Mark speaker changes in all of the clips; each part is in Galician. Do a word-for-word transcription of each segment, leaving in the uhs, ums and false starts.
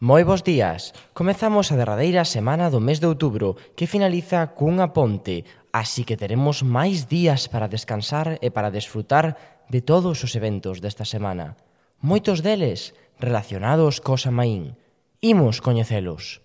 Speaker 1: Moi bos días. Comezamos a derradeira semana do mes de outubro, que finaliza cunha ponte, así que teremos máis días para descansar e para desfrutar de todos os eventos desta semana. Moitos deles relacionados co Samaín. Imos coñecelos.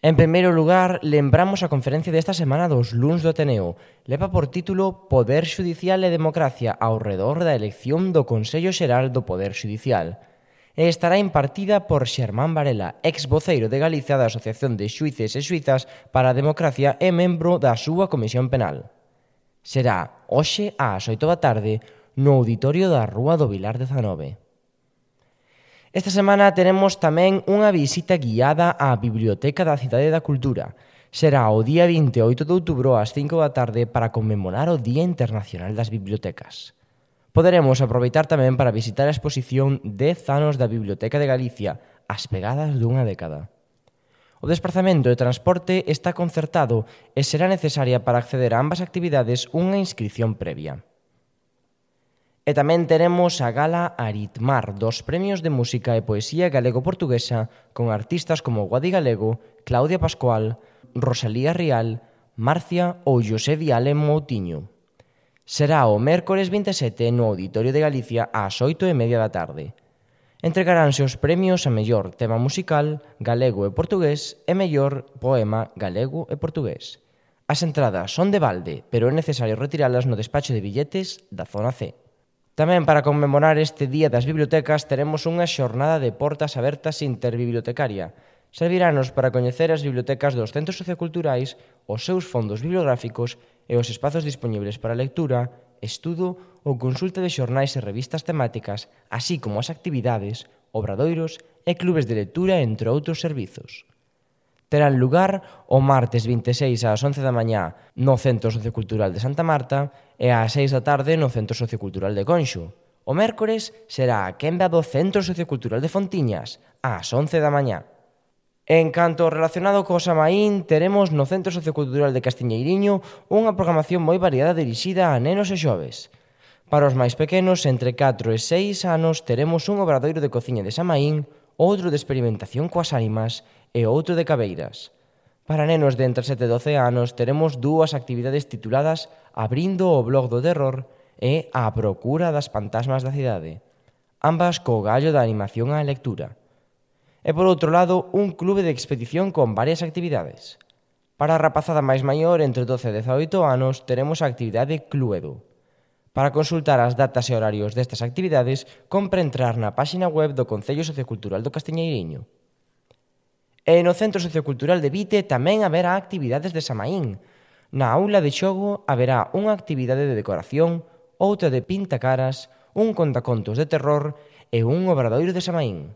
Speaker 1: En primeiro lugar, lembramos a conferencia desta semana dos luns do Ateneo. Leva por título Poder Xudicial e Democracia ao redor da elección do Consello Xeral do Poder Xudicial. E estará impartida por Xermán Varela, ex voceiro de Galicia da Asociación de Xuíces e Xuízas para a Democracia e membro da súa Comisión Penal. Será hoxe ás oito da tarde no auditorio da Rúa do Vilar dezanove. Esta semana teremos tamén unha visita guiada á Biblioteca da Cidade da Cultura. Será o día vinte e oito de outubro ás cinco da tarde para conmemorar o Día Internacional das Bibliotecas. Poderemos aproveitar tamén para visitar a exposición dez anos da Biblioteca de Galicia, as pegadas dunha década. O desprazamento e transporte está concertado e será necesaria para acceder a ambas actividades unha inscrición previa. E tamén teremos a gala Aritmar dos Premios de Música e Poesía Galego-Portuguesa con artistas como Guadi Galego, Claudia Pascual, Rosalía Rial, Marcia ou José Viale Moutinho. Será o mércores vinte e sete no Auditorio de Galicia ás oito e media da tarde. Entregaránse os premios a mellor tema musical galego e portugués e mellor poema galego e portugués. As entradas son de balde, pero é necesario retiralas no despacho de billetes da zona C. Tamén para conmemorar este Día das Bibliotecas teremos unha xornada de portas abertas interbibliotecaria. Serviranos para coñecer as bibliotecas dos centros socioculturais, os seus fondos bibliográficos e os espazos dispoñibles para lectura, estudo ou consulta de xornais e revistas temáticas, así como as actividades, obradoiros e clubes de lectura, entre outros servizos. Terán lugar o martes vinte e seis ás once da mañá no Centro Sociocultural de Santa Marta e ás seis da tarde no Centro Sociocultural de Conxo. O mércores será a quenda do Centro Sociocultural de Fontiñas ás once da mañá. En canto relacionado co Samaín, teremos no Centro Sociocultural de Castiñeiriño unha programación moi variada dirixida a nenos e xoves. Para os máis pequenos, entre catro e seis anos, teremos un obradoiro de cociña de Samaín, outro de experimentación coas ánimas e outro de cabeiras. Para nenos de entre sete e doce anos teremos dúas actividades tituladas Abrindo o blog do terror e A procura das fantasmas da cidade, ambas co gallo da animación á lectura. E por outro lado, un clube de expedición con varias actividades. Para a rapazada máis maior, entre doce e dezaoito anos, teremos a actividade Cluedo. Para consultar as datas e horarios destas actividades, compre entrar na páxina web do Concello Sociocultural do Castiñeiriño. E no Centro Sociocultural de Vite tamén haberá actividades de Samaín. Na aula de xogo haberá unha actividade de decoración, outra de pintacaras, un contacontos de terror e un obradoiro de Samaín.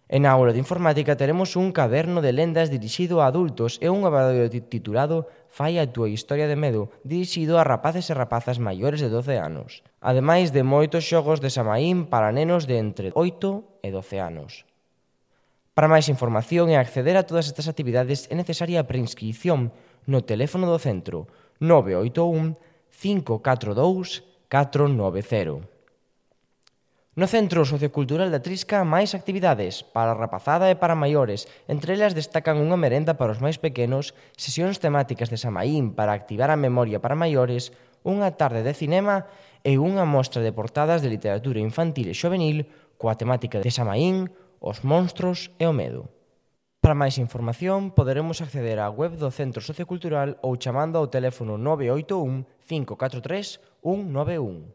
Speaker 1: E na aula de informática teremos un caderno de lendas dirixido a adultos e un obradoiro titulado Fai a túa historia de medo, dirixido a rapaces e rapazas maiores de doce anos. Ademais de moitos xogos de Samaín para nenos de entre oito e doce anos. Para máis información e acceder a todas estas actividades é necesaria a preinscrición no teléfono do centro nove oito un, cinco catro dous, catro nove cero. No Centro Sociocultural da Trisca, máis actividades para a rapazada e para maiores. Entre elas destacan unha merenda para os máis pequenos, sesións temáticas de Samaín para activar a memoria para maiores, unha tarde de cinema e unha mostra de portadas de literatura infantil e xovenil coa temática de Samaín, os monstros e o medo. Para máis información, poderemos acceder á web do Centro Sociocultural ou chamando ao teléfono nove oito un, cinco catro tres, un nove un.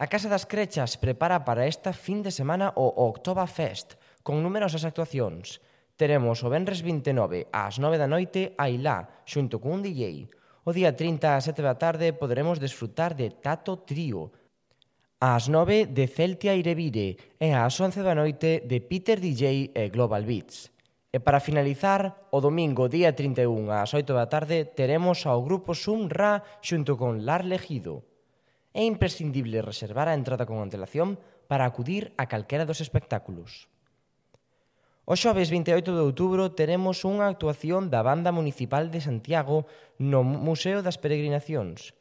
Speaker 1: A Casa das Crechas prepara para esta fin de semana o Oktoberfest, con numerosas actuacións. Teremos o venres vinte e nove ás nove da noite a Ilá, xunto con un D J. O día trinta ás sete da tarde poderemos desfrutar de Tato Trío. Ás nove de Celtia Irevire e ás once da noite de Peter D J e Global Beats. E para finalizar, o domingo día trinta e un ás oito da tarde teremos ao grupo Sum Ra xunto con Lar Legido. É imprescindible reservar a entrada con antelación para acudir a calquera dos espectáculos. O xoves vinte e oito de outubro teremos unha actuación da Banda Municipal de Santiago no Museo das Peregrinacións.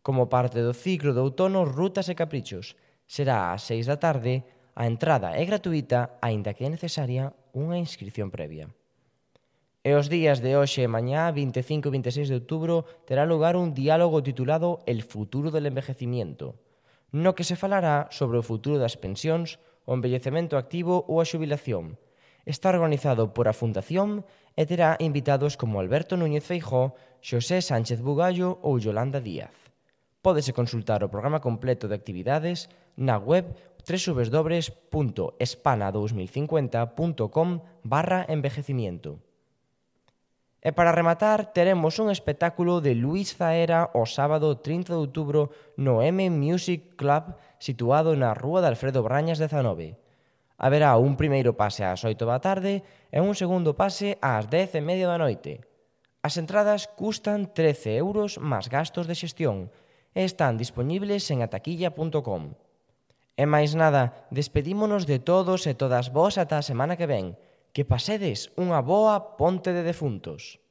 Speaker 1: Como parte do ciclo de outono Rutas e Caprichos. Será ás seis da tarde, a entrada é gratuíta, aínda que é necesaria unha inscripción previa. E os días de hoxe e mañá, vinte e cinco e vinte e seis de outubro, terá lugar un diálogo titulado El futuro del envejecimiento, no que se falará sobre o futuro das pensións, o envellecemento activo ou a xubilación. Está organizado por a Fundación e terá invitados como Alberto Núñez Feijóo, Xosé Sánchez Bugallo ou Yolanda Díaz. Pódese consultar o programa completo de actividades na web doble u doble u doble u punto espana dos mil cincuenta punto com barra envejecimiento. E para rematar, teremos un espectáculo de Luis Zaera o sábado trinta de outubro no M Music Club situado na rúa de Alfredo Brañas dezanove. Haberá un primeiro pase ás oito da tarde e un segundo pase ás dez e media da noite. As entradas custan trece euros máis gastos de xestión e están dispoñibles en ataquilla punto com. E máis nada, despedímonos de todos e todas vós ata a semana que ven. Que pasedes unha boa ponte de defuntos.